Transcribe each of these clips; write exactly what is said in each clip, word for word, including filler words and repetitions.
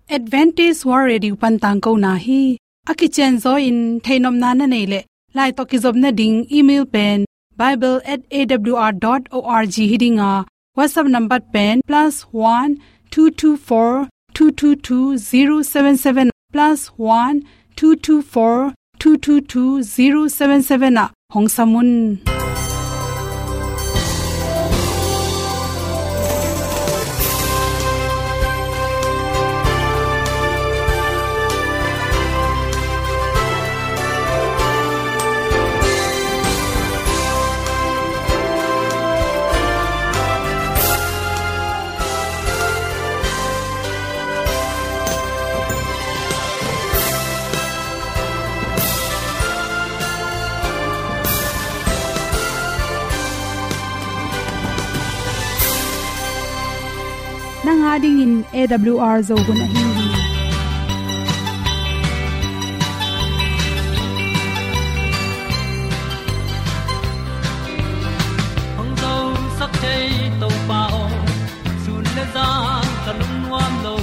Adventist World Radio pan tangkona hi. A kicianzaw in theihnopna na neih leh, lai tawh kizopna ding email pen bible at A W R dot org hi ding a, WhatsApp number pen plus one two two four two two two zero seven seven, plus one two two four two two two zero seven seven ah hong sam un. Nang a dingin A W R Zo hun ahi hi. Hong zosak thei Topa aw, sun le zan ka lungnuam lo.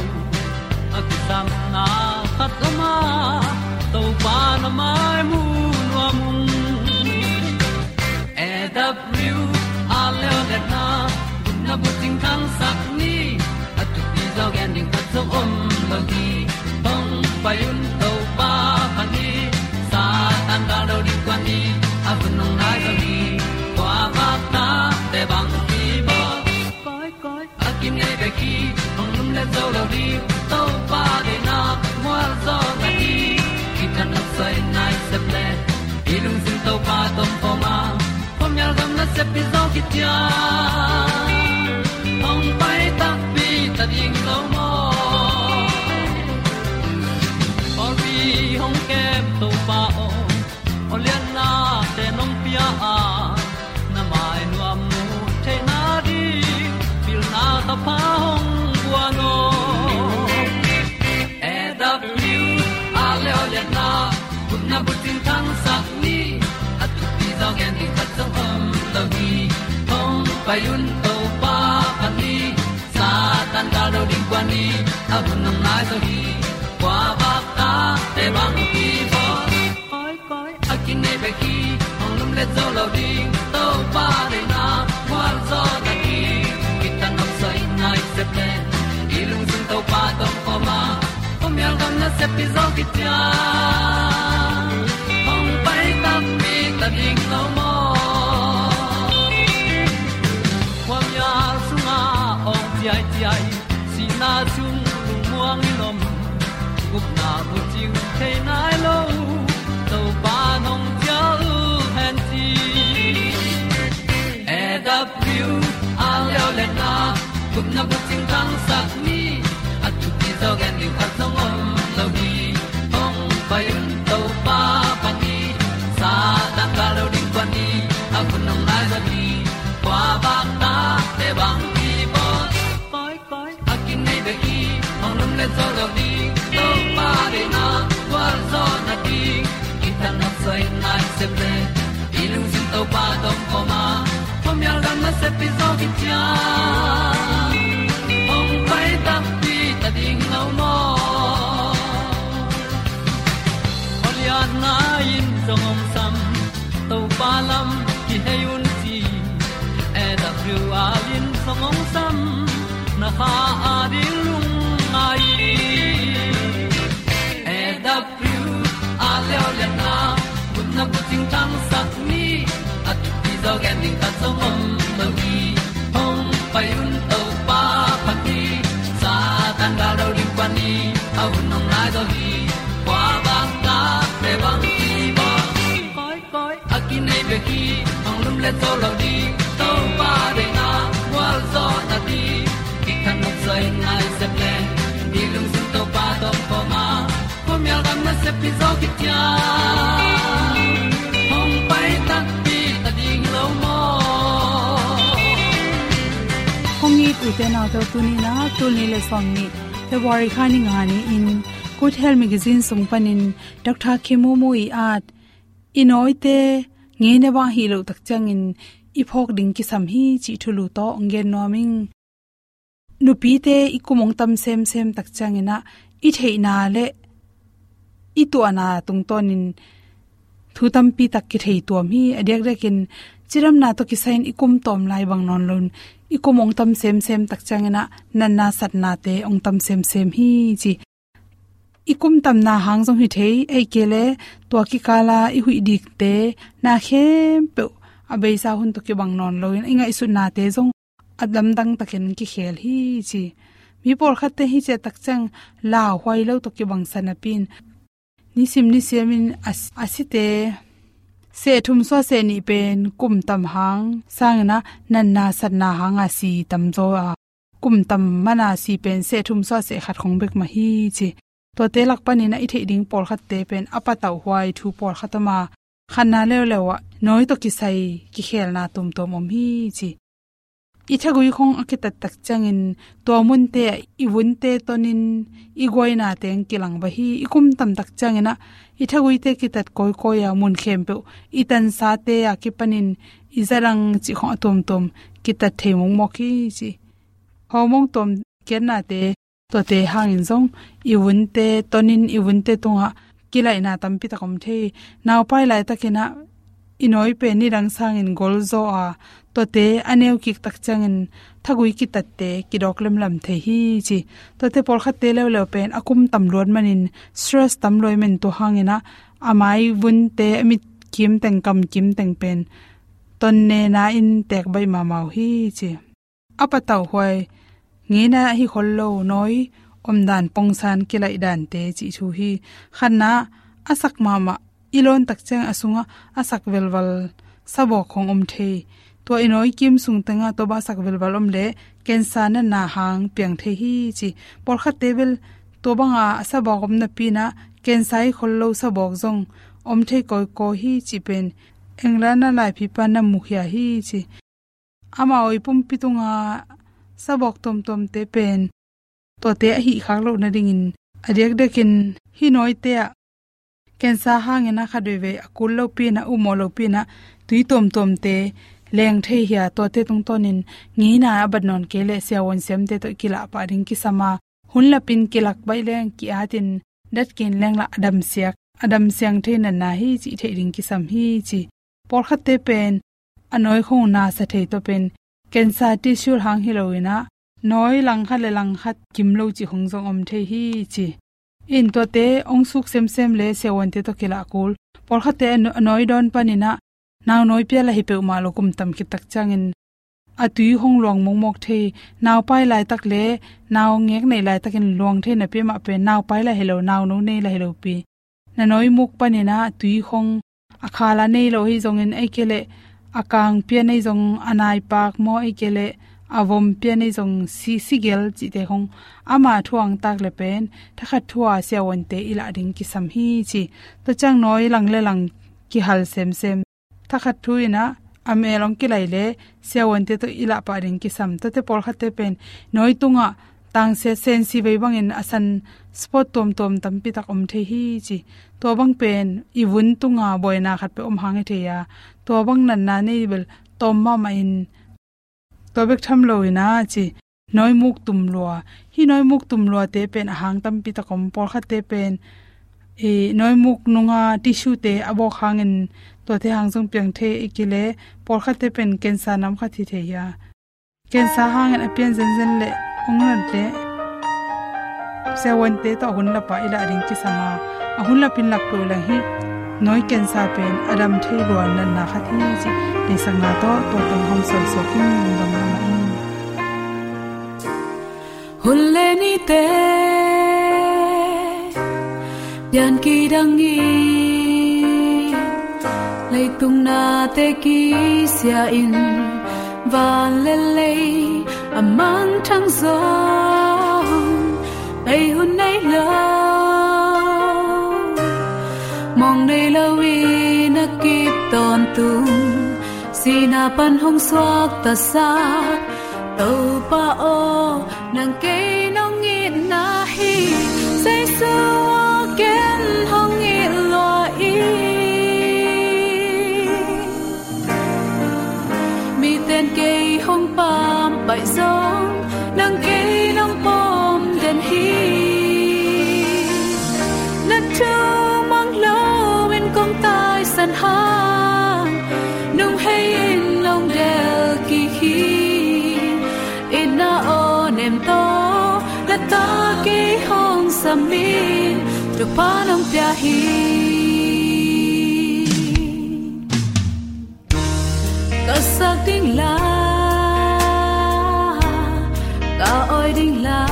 A kisapna khat om a, Topa na mai mu nuam ung. A W R Leo le na, gupna bucing thangsak ni. A thupi zaw gen ding khat zong om lo hi. Hong pai un Topa pha ni. Satan gal do ding kua ni. A hun hong nai zaw hi. Kua bak na te bang hi bawl. Koi, koi, a kinei bek hi, hong lum le zo lo ding, Topa deihna mual zaw na hi. Kithat nopsai nai sep le, i lungsim Topa tawh om a, khuamial gam nasep hi zaw khit ciang, hong pai takpi ta ding lo maw. Pawlpi hong kem Topa aw, aw lianna te nong pia a, na mai nuam mu theihna ding, pilna ka pha hong guan aw. A W R Leo le na, gupna bucing thangsak ni. A thupi zaw gen ding khat zong om lo hi. Hong pai un Topa pha ni. Satan gal do ding kua ni. A hun hong nai zaw hi. Kua bak ta te bang hi bawl. Koi, koi, a kinei bek hi, hong lum le zo lo ding, Topa deihna mual zaw na hi. Kithat nopsai nai sep le, i lungsim Topa tawh om a, khuamial gam nasep hi zaw khit ciang, hong pai takpi ta ding lo maw. Khuamial sungah awng ciaiciai, sihna sung lungmuang in om, gupna bucing thei nai lo, Topa nong cial hen ci. A W R Leo le na, gupna bucing thangsak ni. A thupi zaw gen ding khat zong om lo hi. Hong pai un Topa pha ni. Satan gal do ding kua ni. A hun hong nai zaw hi. Kua bak ta te bang hi bawl. Koi, koi, a kinei bek hi, hong lum le zo lo ding, Topa deihna gual zaw na ding. Kithat nopsai nai sep le, i lungsim Topa tawh om a, khuamial gam nasep hi zaw khit ciang, hong pai takpi ta ding lo maw. Aw lianna in zong hong sam, Topa lam kihei un ci. A W R in zong hong sam, na kha a ding lungngai. A W R Leo le na, gupna bucing thangsak ni. A thupi zaw gen ding khat zong om lo hi. Hong pai un Topa pha ni. Satan gal do ding kua ni. A hun hong nai zaw hi. Kua bak ta te bang hi bawl. Koi, koi, a kinei bek hi, hong lum le zo lo ding, Topa deihna gual zaw na ding. Kithat nopsai nai sep le, i lungsim Topa tawh om a, khuamial gam nasep hi zaw khit ciang, hong pai takpi ta ding lo maw. Hong it ute naute, tuni in ah, tul nih le sawmnih February kha ni nga ni-in Good Health Magazine sung panin Doctor Kim Momo i at, i nawite ngeina bang hi lo tak ciangin i phawk ding kisam hi cih thulu tawh hong gen nuam ing. Nupite i kum hong tam semsem tak ciangin ah, i theihna le i tuahna tungtawnin thu tampi tak kithei tuam hi. A diakdiakin cidamna tawh kisai-in i kum tawm lai bang nawn loin i kum hong tam semsem tak ciangin ah natna satnate hong tam semsem hi ci. I kum tamna hang zong hi thei, ahih kei leh tua kikala i huih dikte na khempeuh a beisa hun tawh kibang nawn loin i ngaihsutnate zong a lamdang takin kikhel hi ci. Mi pawlkhatte hi ciah tak ciang lauhuai lo tawh kibangsa napi-in nisim nisiamin a, a site seh thum suah seh nih pen kum tam hang sangin ah natna satna hanga si tamzaw a, kum tam mana si pen seh thum suah seh khat khong bek mah hi ci. Tuate lak panin ah i theih ding pawlkhatte pen a patauhhuai thu pawlkhat om a, khatna leuleu ah nawi tawh kisai kikhelna tuamtuam om hi ci. I thagui khong a kitat tak ciangin tua munte ah i vunte tonin i guaina teng kilang va hi. I kum tam tak ciangin ah i thaguite kitat kawikawi a, mun khempeuh i tansate a kipanin i zadang cih khong a tuamtuam kitat thei mawkmawk hi ci. Hawmawng tuam kiatnate, tuate hangin zong i vunte tonin i vunte tungah kilaihna tampi tak om thei. Naupai laitakin ah i nawi pen nidang sangin golzaw a, tuate a neu kik tak ciangin thagui kitatte kidawk lemlam thei hi ci. Tuate pawlkhatte leuleu pen a kum tam luat manin stress tam luai man, tua hangin ah a mai vunte, a mit kimteng, kam kimteng pen tonnena in teek baih mahmah uh hi ci. A patauhhuai, ngeina hi khol lo, nawi omdan pongsan kilaih dante cih thu hi. Khatna, a sak mahmah i lawn tak ciang a sungah a sak velval sabawk khong om thei. Tua i nawi kim sung tengah tua bang a sak velval om leh cancer natna hang piang thei hi ci. Pawlkhatte bel tua banga a sabawk om napi-in ah cancer hi khol lo sabawk zong om thei kawikawi hi cih pen England a laipipa na mukhia hi ci. Amau i pumpi tunga sabawk tuamtuamte pen tuate a hih khak loh nadingin a diakdiakin hih nawite ah cancer hangin ah khatveivei a kul lopi-in ah, umawh lopi-in ah tui tuamtuamte leng thei hi a, tuate tungtawnin ngeina a bat nawn kei leh siavuan siamte tawh kilah pah ding kisam a, hun lapin kilak baih leng ki-atin dat kin leng lah a damsiak, a damsiang thei natna hi cih theih ding kisam hi ci. Pawlkhatte pen a nawi khong nasa thei tawh pen cancer tissue hang hi loin ah nawi langkhat le langkhat kim lo cih khong zong om thei hi ci. In tuate hong suk semsem le siavuante tawh kilah kul. Pawlkhatte a naw-, a nawi dawn panin ah nau nawi pia lah hi peuhmah lo, kum tam khit tak ciangin a tui hong luang mawkmawk thei. Naupai laitak le nau ngek neih laitakin luang thei napi mah pen naupai lah hi lo, nauno nei lah hi lopi, na nawi muk panin ah tui hong a khala nei lo hi zongin, ahih kei leh a kang pia nei zong, a naipak maw, ahih kei leh a vom pia nei zong, si, sigel cihte hong ama thu hang tak le pen thakhat thu a siavuante i lah ding kisam hi ci. Tua ciang nawi lang le lang kihal semsem. Thakhat thu-in ah a mel hong kilaih le siavuante tawh i lah pah ding kisam. Tuate pawlkhatte pen nawi tungah tangsia sensi vei bangin a san spot tuamtuam tampi tak om thei hi ci. Tua bang pen i vun tunga buaina khat peuh om hang hi thei a, tua bang natna nei bel tawm mahmah in tua bek tham loin ah ci. Nawimuk tumlua. Hih nawimuk tumluate pen a hang tampi tak om. Pawlkhatte pen i nawimuk nunga tissue-te a bawk hangin tuate hang zong piang thei, ahih kei leh pawlkhatte pen cancer nam khat hi thei hi a. Cancer hangin a pian zenzen le hong nat le siavuante tawh a hun lapa i lah ding kisam a, a hun lapin lak peuh leng hih nawi cancer pen a dam thei lua natna khat hi cih deihsakna tawh tua tawh hong suansuak in lungdam lamah in. Hun le nite pian kidang in, leitung nate kisia in, van le lei a mangthang zong bei hun nei lo, mawng nei loin a kip tawntung, sihna pan hong suakta sak Topa aw, nang kei nong itna hi, Jesu aw ken hong it lua in. Miten kei hong pampaih zong, nang kei nong pom den hi. Min thupha nong pia hi. Ka sak ding la, ka oi ding la,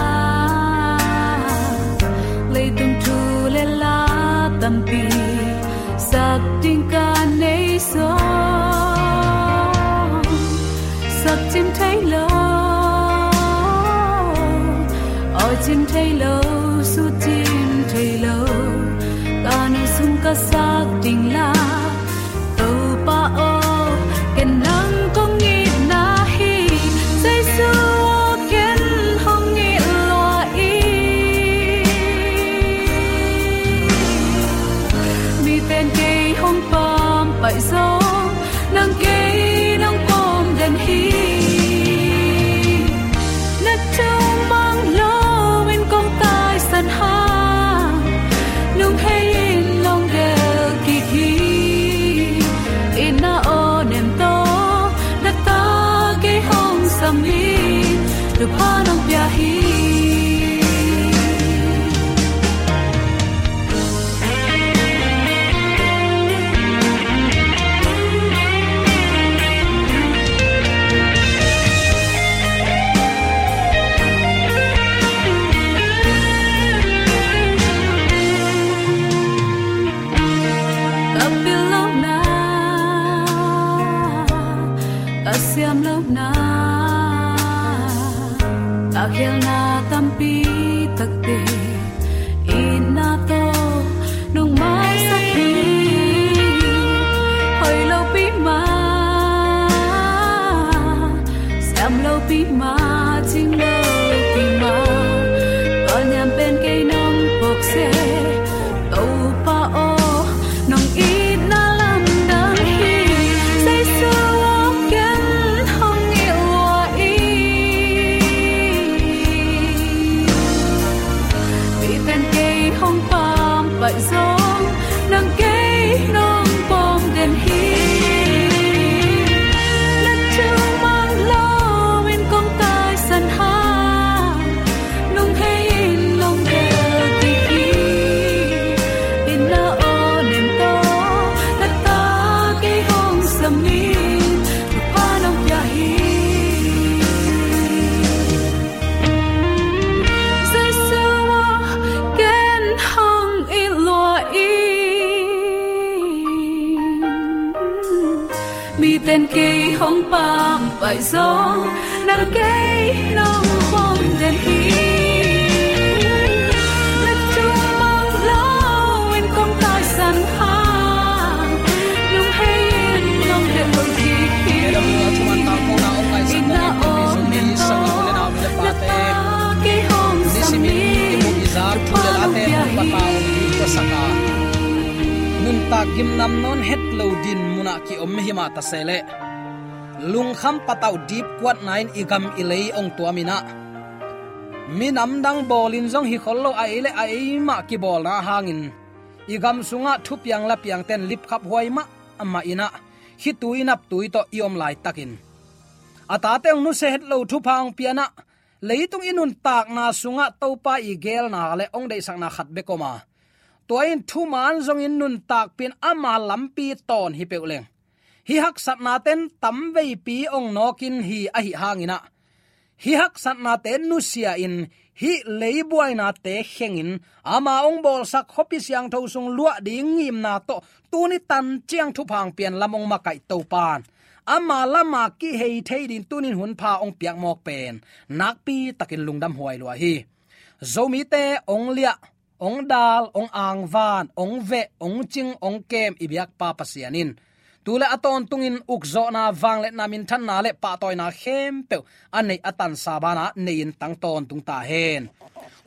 leitung thu le la tampi sak ding ka nei sawm. Sak cim thei lo, oi cim thei lo, sut cim thei lo, ka nu sung ka sak ding la. Topa aw, ken nang kong itna hi, Jesu aw, ken hong it lua in. Miten kei hong pampaih zong, nang kei nong pom den hi. Na thu mang lo in kong taisan hang, nung hei in nong del kik hi. Itna aw nem tawh, na ta kei hong sam in, thupha nong pia hi. Ka pil lohna, ka siam lohna, ka khelna tampi takte, itna tawh nong maisak hi. Hoih lopi mah, siam lopi mah, cing lopi mah, ka niam pen kei nong phawk seh. Topa aw, nong itna lamdang hi. Jesu aw, ken hong it lua in. Miten kei hong pampaih zong, nang kei nong pom den hi. Na thu mang lo in kong taisan hang, nung hei in nong del kik hi. Itna aw nem tawh, na ta kei hong sam in, thupha nong pia hi. Jesu aw, ken hong it lua in. Miten kei hong pampaih zong, nang kei nong pom den hi. Na thu mang lo in kong taisan hang, nung hei in nong del kik hi. Itna aw nem tawh, na ta kei hong sam in, thupha nong pia hi. Nuntak gimnam nawn het lo din munah ki-om hi mah ta se leh, lungkham patauh dipkuatna in i gam i lei ong tuam in ah, minam dang bawlin zong hi khol lo, a ei le a ei mah kibawlna hangin i gam sungah thupiang lapiangten lipkhaphuai mahmah in ah, khitui naptui tawh i om laitakin a tate ong nusia het lo thupha ong pian ah, leitung i nuntakna sungah Topa i geelna le ong deihsakna khat bek om a, tua in thuman zongin nuntakpih in ama lampi tawn hi peuh leng, hih haksatnaten tamveipi ong nawkin hi ahi hangin ah, hih haksatnate nusia in, hih leibuainate khengin, ama ong bawlsak khuapi siangtho sung luah ding ngimna tawh tuni tan ciang thupha ong pian lam ong makaih Topa'n, ama lama kihei thei ding tunin hunpha ong piak mawk pen nakpi takin lungdam huai lua hi. Zomite ong liah, ong dal, ong angvan, ong veh, ong cing, ong kem i biakpa Pasian in tu le a tawntungin ukzawhna, vangliatna, minthanna le pahtawina khempeuh a neih a tansa banah nei-in tang tawntung ta hen.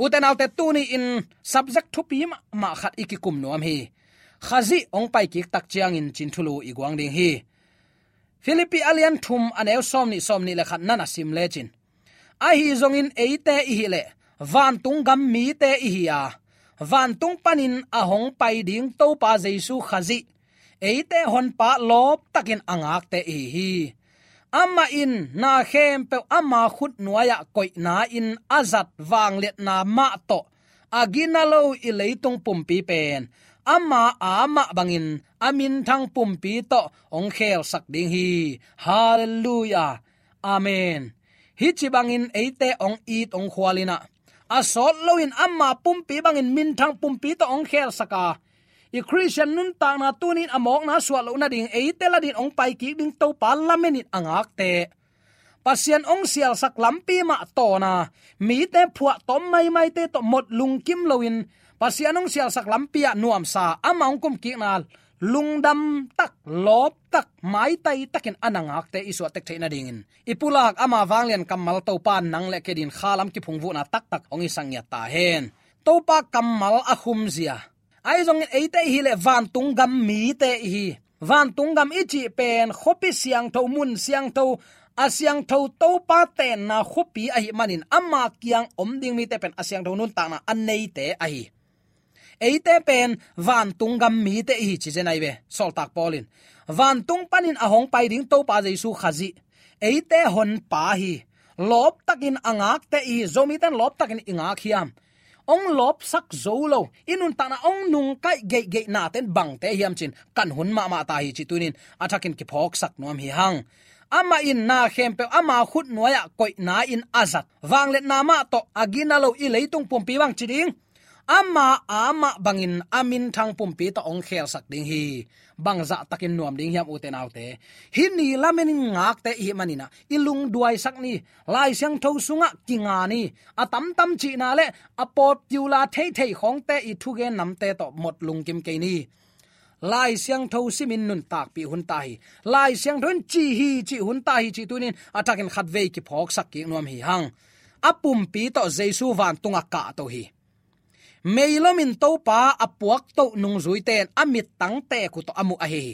Ute naute, tuni-in subject thupi mahmah khat i kikum nuam hi. Khazih ong paikik tak ciangin cin thulu i guang ding hi. Philippi a lian thum, a neu sawmnih, sawmnih le khat na na sim lecin, ahi zongin eite i hih leh vantung gam mite i hi a, vantung panin a hong pai ding Topa Jesu Khazih eite Honpa lawptakin a ngakte i hi hi. Amah in na khempeuh ama khut nuai-ah koihna-in a zat vangliatna mah tawh a gina lo i leitung pumpi pen ama amah bangin a minthang pumpi tawh hong khelsak ding hi. Halleluiah. Amen. Hih ci bangin eite hong it hong khual in ah, a sawt loin ama pumpi bangin minthang pumpi tawh hong khelsak a, i Khristian nuntakna tuni-in a mawkna suah loh nading eite ladin hong pai kik ding Topa lamenin a ngakte, Pasian hong sialsak lampi mah tawn a, mite phuahtawm maimaite tawh mot lungkim loin, Pasian hong sialsak lampi ah nuamsa, ama hong kumkikna lungdam tak, lawp tak, maitai takin a na ngakte i suah tek theih nadingin, i pulak ama vanglian kammal Topa nang le kei adingin khalam kiphungvuhna taktak hong hisak ngiat ta hen. Topa kammal a khumzia. Ahi zongin eite i hih leh vantung gam mite i hi. Vantung gam i cih pen khuapi siangtho, mun siangtho, a siangtho Topa tenna khuapi ahih manin ama kiang om ding mite pen a siangtho nuntakna a neite ahi. Eite pen vantung gam mite i hi ci zen ahi ve. Sawltak Paul in vantung panin a hong pai ding Topa Jesu Khazih, eite honpa hi. Lawp takin a ngakte i hi. Zomite in lawp takin i ngak hiam? Hong lawpsak zo lo, i nuntakna hong nungkaih geihgeihnate'n bangte hiam ci-in kan hun mahmah ta hi cih tuni-in a thakin kiphawksak nuam hi hang. Amah in na khempeuh ama khutnuai-ah koihna-in a zat, vangliatna mah tawh a gina lo i leitung pumpi bang ci ding, ama amah bangin a minthang pumpi tawh hong khelsak ding hi. Bangzah takin nuam ding hiam, ute naute? Hih ni lamenin ngakte i hih manin ah, i lungduaisak ni. Lai Siangtho sungah kinga ni. A tamtam cihna le a popular theithei khawngte i thugen namte tawh mot lungkim kei ni. Lai Siangtho simin nuntakpih hun ta hi. Lai Siangtho in ci hi cih hun ta hi cih tuni-in a thakin khatvei kiphawksak kik nuam hi hang. A pumpi tawh Jesu vantungah kahto hi. Meilomin Topa a puaktoh nungzuite in a mittang teek uh tawh a muh ahi hi.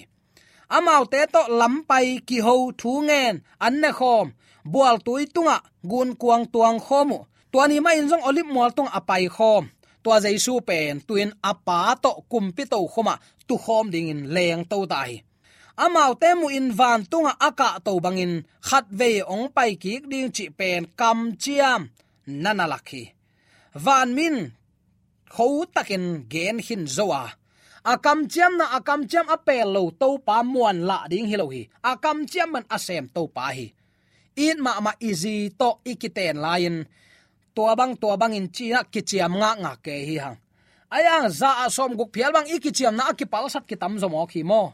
Amaute tawh lampai, kiho, thu ngen, an nekhawm, bualtui tungah gunkuang tuangkhawm uh. Tua ni mahin zong Olive mual tungah a paikhawm. Tua Jesu pen tu-in a Pa tawh kumpi tokhomah tukhawm dingin lengto ta hi. Amaute muhin vantungah a kahto bangin khatvei hong paikik ding cih pen kamciam na na lak hi. Vanmi in khotakin gen khin zo a, a kamciamna, a kamciam a pel lo Topa muanlah ding hi lo hi. A kamciam man a sem Topa hi. It mahmah i zi tawh i kiten lai-in tua bang, tua bangin ci-in ah kiciam ngakngak kei hi hang. Ahi hang za ah sawmguk phial bang i kiciamna a kipalsat kitamzaw mawk hi maw?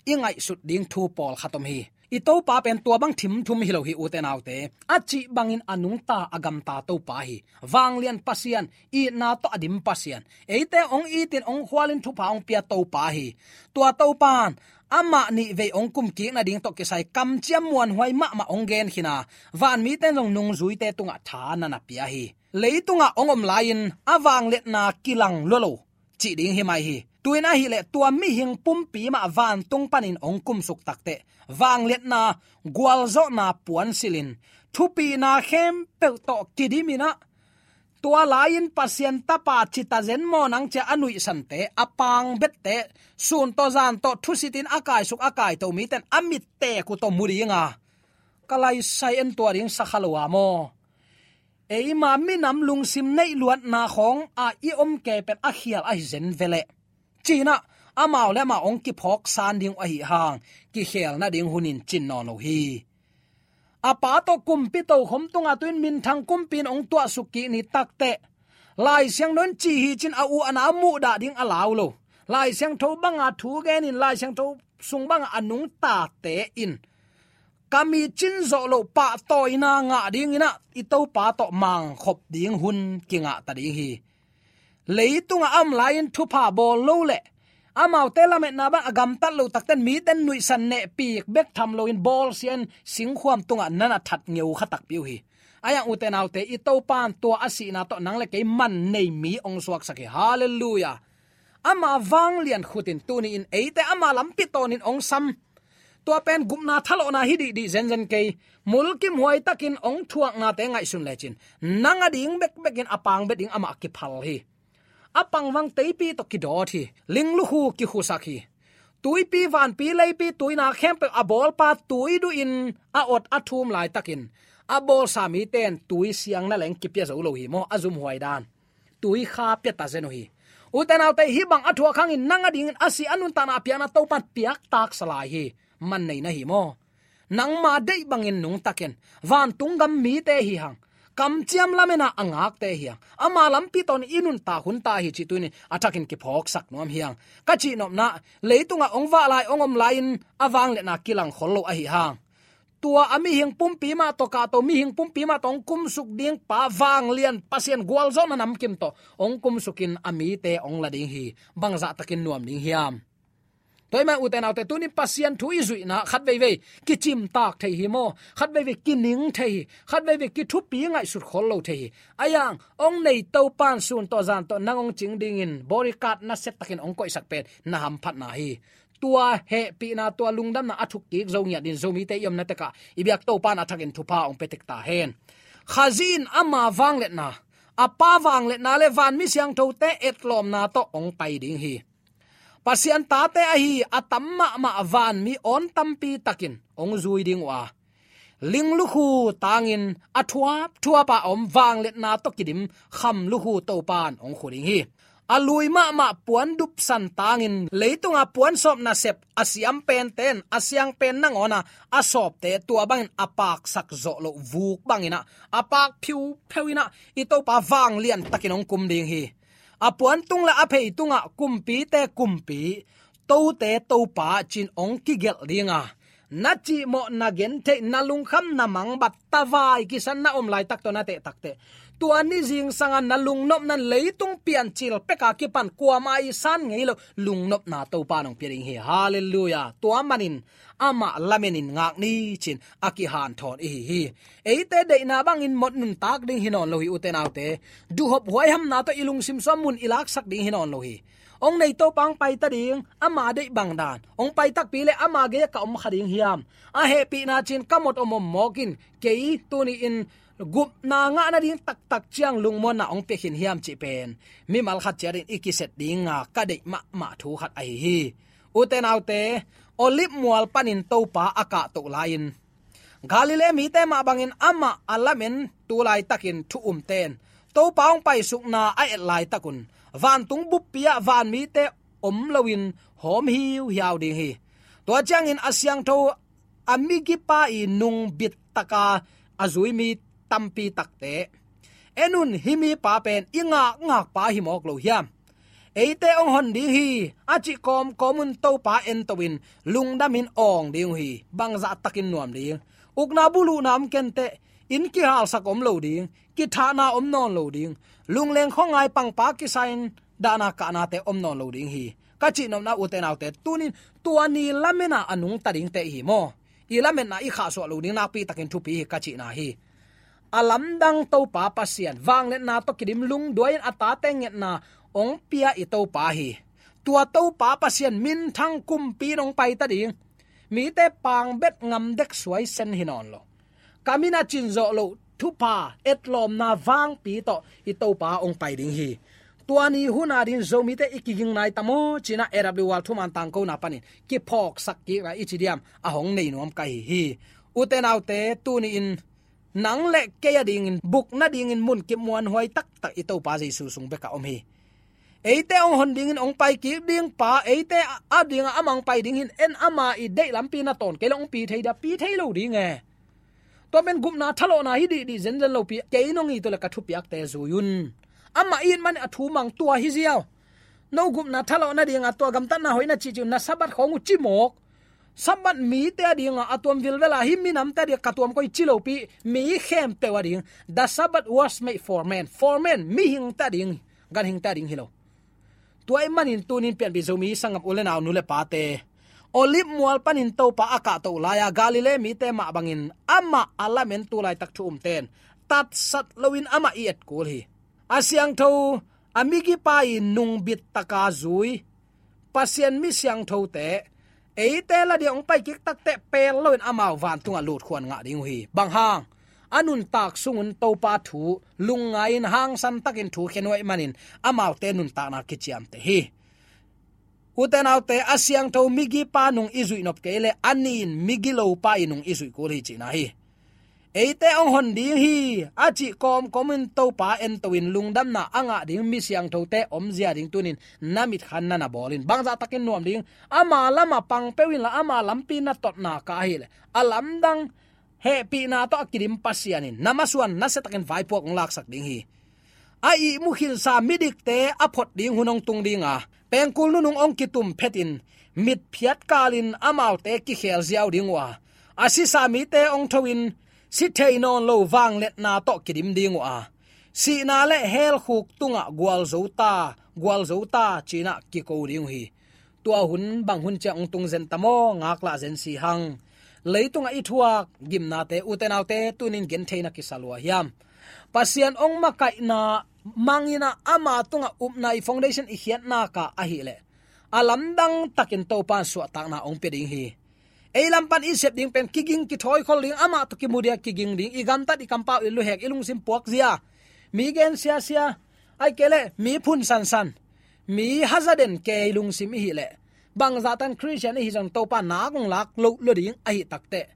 I ngaihsut ding thu pawlkhat om hi. I Topa pen tua bang thimthum hi lo hi, ute naute. A cih bangin a nungta, a gamta Topa hi. Vanglian Pasian, itna tawh a dim Pasian, eite hong itin hong khualin thupha hong pia Topa hi. Tua Topa in amah nih vei hong kumkik nading tawh kisai kamciam muanhuai mahmah hong gen khin a, vanmite in zong nungzuite tungah tha na na pia hi. Leitungah hong om lai-in a vangliatna kilang lua lo cih ding hi mai hi. Tu-in ahih leh tua mihing pumpi mah vantung panin hong kumsuk takteh, vangliatna, gualzawhna puansilhin, thupina khempeuh tawh kidimin ah, tua lai-in Pasian Tapa cita zen maw nang ci-a a nuihsante, a pangbette, sun tawh zan tawh thusitin a kaisuk a kaito mite in a mit teek uh tawh mu ding a, ka laisai en tua ding sa kha lo a maw? Eima minam lungsim neih luatna khawng a i om kei pen a khial ahi zen ve leh, ci-in ah amau le amau hong kiphawksan ding uh ahih hang, kikhel nading hun in cin nawn lo hi. A Pa tawh kumpi tokhom tungah tu-in minthang kumpi in hong tuahsuk kik ni takteh, Lai Siangtho in ci hi ci-in a u a nau muhdah ding a lau lo. Lai Siangtho banga thu genin, Lai Siangtho sung banga a nungtate in, ka mi cin zawh loh pahtawina ngah dingin ah i Topa tawh mangkhop ding hun kingah ta ding hi. Leitungah a om lai-in thupha bawl lo leh, amaute lametna bang a gamtat lo takteh mite in nuihsan nehpik bek tham loin bawlsia-in singkhuam tungah na na that ngeukha takpi uh hi. Ahi hang, ute naute, i Topa in tua a sihna tawh nang le kei man nei mi hong suaksak hi. Halleluiah. Ama vanglian khut in tuni-in eite ama lampi tawnin hong sam. Tua pen gupna thalawhna hi dihdih zenzen kei. Mulkimhuai takin hong thuaknate ngaihsun lecin, nang ading bekbekin a pangbet ding amah kiphal hi. A pangvang teipi tawh kidawt hi. Linglukhu kikhusak hi. Tuipi, vanpi, leipi, tuina khempeuh a bawlpa tui duhin a awt a thum laitakin, a bawlsa mite in tui siang na leng kipia zo lo hi maw, a zumhuai dan. tuikha pia ta zen uh hi. Ute naute, hih bang a thuak hangin nang adingin a si a nuntakna a piakna Topan piaktaksa lai hi. Man nei na hi maw? Nangma deih bangin nungtakin, vantung gam mite hi hang, kamciam lamena a ngakte hi hang, ama lampi tawh i nuntak hun ta hi cih tuni-in a thakin kiphawksak nuam hi hang. Ka cihnopna, leitungah hong vah lai, hong om lai-in a vangliatna kilang khol lo ahi hang. Tua a mihing pumpi mah tawh kahto, mihing pumpi mah tawh hong kumsuk ding pa, vanglian Pasian gualzawhna namkim tawh hong kumsukin a mite hong la ding hi. Bangzah takin nuam ding hiam? Tua ahih manin ute naute, tuni-in Pasian thu i zuihna khat veivei kicimtak thei hi maw? Khat veivei kining thei hi. Khat veivei kithupi ngaihsut khol lo thei hi. Ahi hang, hong nei Topan sun tawh zan tawh nang hong cing dingin bodyguard nasia takin hong koihsak pen na hamphatna hi. Tua hehpihna, tua lungdamna a thukkik zo ngiat dingin Zomite i omna tekah i biak Topan a thakin thupha hong pia tek ta hen. Khazih in ama vangliatna, a Pa vangliatna le vanmi siangthote etlawmna tawh hong pai ding hi. Pasian tate ahi a tam mahmah vanmi awn tampi takin hong zui ding uh a, ling lukhu tangin a thuapthuap a om vangliatna tawh kidim kham lukhu Topan hong khu ding hi. A lui mahmah puan dupsan tangin leitunga puan sawp nasep a siam pente in a siang pen nangawn a a sawpte tua bangin a paksak zawh loh vuk bangin ah, a pak phiupheu in ah, i Topa vanglian takin hong kum ding hi. A puantung le a pheitungah kumpite kumpi, tote Topa ci-in hong kigelh ding a, na cihmawh, na gentheih, na lungkham, na mangbat, tavai kisan na om laitak tawh na tehtak teh, tua ni zingsanga na lungnopna in leitung piancil peka kipan kuamah i san ngei lo lungnopna Topa in hong pia ding hi. Halleluiah. Tua manin amah lamenin ngak ni ci-in a kihanthawn i hi hi. Eite deihna bangin mawk nuntak ding hi nawn lo hi, ute naute. Duhhop huaihamna tawh i lungsim sung mun i laksak ding hi nawn lo hi. Hong nei Topa hong paita ding, ama deih bang dan. Hong pai takpi leh ama gei-ah ka om kha ding hiam? A hehpihna ci-in ka mawk om om mawk in, kei tuni-in gupna ngah nading taktak ciang lungmuanna hong pia khin hiam cih pen mimal khat ciatin i kiset dinga ka deih mahmah thu khat ahi hi. Ute naute, Olive mual panin Topa a kahtoh lai-in, Galilee mite mah bangin amah a lamen tu laitakin thu umte in Topa hong paisukna a et laitakun vantung buppi-ah vanmite om loin hawm hiuhiau ding hi. Tua ciangin a siangtho a migipa i nung bittaka a zui mi tampi takte, en un, hih mipa pen i ngakngakpa hi mawk lo hiam? Eite hong hon ding hi, a cih kawmkawm un Topa ento-in lungdamin awng ding uh hi. Bangzah takin nuam ding? Ukna buluhna om kenteh, inn kihalsak om lo ding, kithahna om nawn lo ding, lungleng khuangai pangpa kisa-in dahna kahnate om nawn lo ding hi. Ka cihnopna, ute naute, tuni-in tua ni lamena a nungta dingte i hi maw? I lametna i khahsuah loh ding nakpi takin thupi hi ka cihna hi. A lamdang Topa Pasian, vangliatna tawh kidim lungduai-in a tate ngetna hong pia i Topa hi. Tua Topa Pasian minthang kumpi in hong paita ding. Mite pangbet ngamdek suaisen hi nawn lo. Ka min a cin zawh loh thupha, etlawmna vangpi tawh i Topa hong pai ding hi. Tua ni hun a dingin Zomite i kiging nai ta maw ci-in ah A W R thuman tangkona panin kiphawksak kik lai i ci diam, a hong nei nuam ka hi hi. Ute naute, tuni-in nang le kei a dingin buk nadingin munkip muanhuai taktak i Topa Jesu sung bek a om hi. Eite hong hon dingin hong pai kik ding pa, eite a dingah amah hong pai ding hi-in, en, ama i deih lampi na tawn kei leh hong pi thei dia? Pi thei lo ding e. Tua pen gupna thalawhna hi dihdih zenzen lopi, kei nong it uh leh ka thupiakte zui un. Amah it manin a thu mang tua hi ziau. No gupna thalawh nadinga tua gamtatna hoih na cihcih un, na Sabbath khawng uh ci mawk. Sabbath mite a dinga a tuam vilvel a, hih minamte a dingah ka tuam koih ci lopi, mi khempeuh a ding. The Sabbath was made for man. For man, mihingte a ding, ganhingte a ding hi lo. Tua ahih manin tuni-in pianpih Zomi sanggam u le nau, nu le pate, Olive mual panin Topa a kahtoh lai-a Galilee mite mah bangin amah a lamen tu laitak thu umte in tatsat loin amah i et kul hi. A siangtho, a migipa i nung bittaka zui Pasian mi siangthote, eite la dingah hong pai kik takteh pel loin amau vantungah lutkhuan ngah ding uh hi. Bang hang? A nuntak sungun Topa thu lungngai-in hangsan takin thu khen uh ahih manin amaute nuntakna kiciamteh hi. Ute naute, a siangtho migipa nung i zuih nop kei leh a nin migilopa i nung i zuih kul hi cihna hi. eite hong hon ding hi, a cih kawmkawm in Topa ento in lungdamna a ngah ding mi siangthote omzia ding tunin na mitkhan na na bawl in. Bangzah takin nuam ding, ama lamah pang peuh inla ama lampi na totna ka ahileh a lamdang hehpihna tawh a kidim Pasian in na masuan nasia takin vaipuak hong laksak ding hi. A ihmu khinsa midikte a phot ding hun hong tung ding a, pengkul nunung hong kitum phetin mitphiat kalin amaute kikhel ziau ding uh a, a sisa mite hong tho in si thei nawn lo vangliatna tawh kidim ding uh a, sihna le helkhuk tungah gualzo ta, gualzo ta cinah kiko ding uh hi. Tua hun bang hun ciang hong tung zen ta maw, ngaklah zen si hang. Leitungah i thuak gimnate, ute naute, tunin gentheina kisa lua hiam? Pasian hong makaihna mangin ah ama tungah upna i foundation i khiatna ka ahileh a lamdang takin Topa in suahtakna hong pia ding hi. Ei lam pan i sep ding pen kiging kithawikhol ding, amah tawh kimu dia kiging ding, i gamtat i kampau i luhek i lungsim puakzia, mi gen siasia, ahih kei leh mi phun sansan, mi hazaden kei lungsim i hih leh, bangzah tan Khristian i hih zong Topa nak hong lak lo lua ding ahih takteh,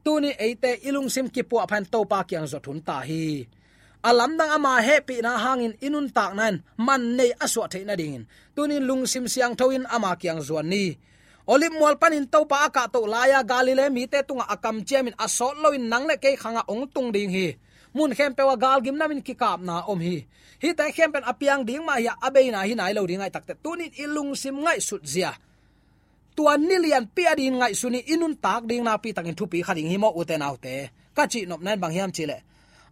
tuni eite i lungsim kipuahpha in Topa kiang zot hun ta hi. A lamdang ama hehpihna hangin i nuntakna in man nei a suah theih nadingin tunin lungsim siangtho in ama kiang zuan ni. Olive mual panin Topa a kahtoh lai-a Galilee mite tungah a kamciamin a sawt loin nang le kei khangah hong tung ding hi. Mun khempeuh ah galgim namin kikapna om hi. Hihte khempeuh in a piang ding mah hi-a, a beina hi nai lo ding ahih takteh, tunin i lungsim ngaihsutzia, tua ni lianpi a dingin ngaihsun in i nuntak ding nakpi takin thupi kha ding hi maw, ute naute. Ka cihnopna in bang hiam cihleh,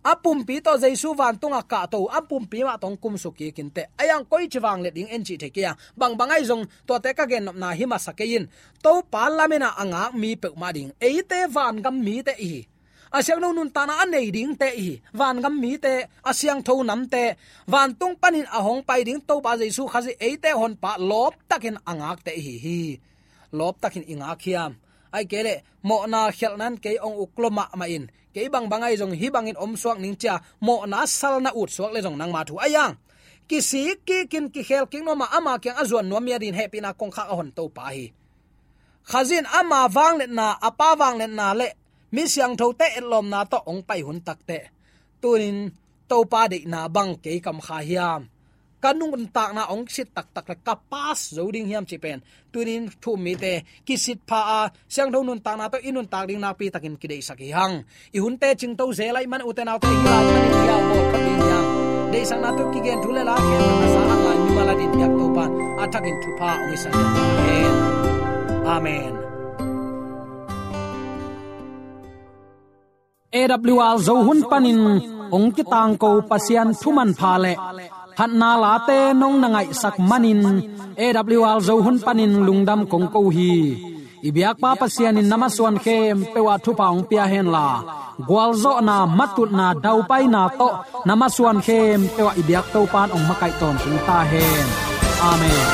a pumpi tawh Jesu vantungah kahto, a pumpi mah tawh hong kumsuk kik inteh. A iang koici vangliat ding en cih thei kei a, bangbang ahi zong tuate ka gennopna hi masa kei in. Topa lamen a a ngak mi peuhmah ding, eite vangam mite i hi. A siangtho nuntakna a nei dingte i hi. Vangam mite, a siangtho namte, vantung panin a hong pai ding Topa Jesu Khazih eite honpa lawptakin a ngakte i hi hi. Lawptakin i ngak hiam? Ahih kei leh mawhna khialhna in kei hong uk lua mahmah in, kei bangbang ahi zong hih bangin om suak ning ci-a mawhna salna ut suak leh zong nangma thu a iang kisik kikin kikhel kik nuam a, ama kiang a zuan nuam mi a dingin hehpihna kongkhak a hon Topa hi. Khazih in ama vangliatna, a Pa vangliatna le mi siangthote etlawmna tawh hong pai hun takteh, tunin Topa deihna bang kei kam kha hiam? Ka nuntakna hong sit taktak le ka pass zo ding hiam cih pen tunin thu-um mite kisit pha a, siangtho nuntakna tawh i nuntak ding nakpi takin kideihsak hi hang. I hunte cingto zel ahih man, ute naute, hih lai panin hih a bawl kha ding hiam? Deihsakna tawh kigen thu le la khempeuh a sa a ngai mimal a dingin biak Topa in a thakin thupha hong hisak hen. Amen. A W R Zo hun panin hong kitangko Pasian thu manpha le phatna late nong na ngaihsak manin A W R Zo hun panin lungdam kong ko hi. I biakpa Pasian in na masuan khempeuh ah thupha hong pia henla, gualzawhna, matutna, daupaina tawh na masuan khempeuh ah i biak Topa in hong makaih tawntung ta hen. Amen.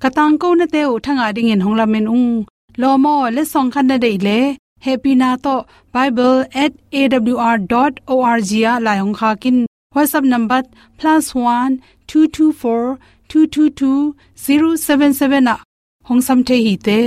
Ka tangkonate uh thangah dingin hong lamen ung. Lawm aw, letsong khat na deih leh, hehpihna tawh bible at A W R dot O R G ah lai hong khak in. WhatsApp number plus one two two four two two two zero seven seven ah hong sam thei hi te.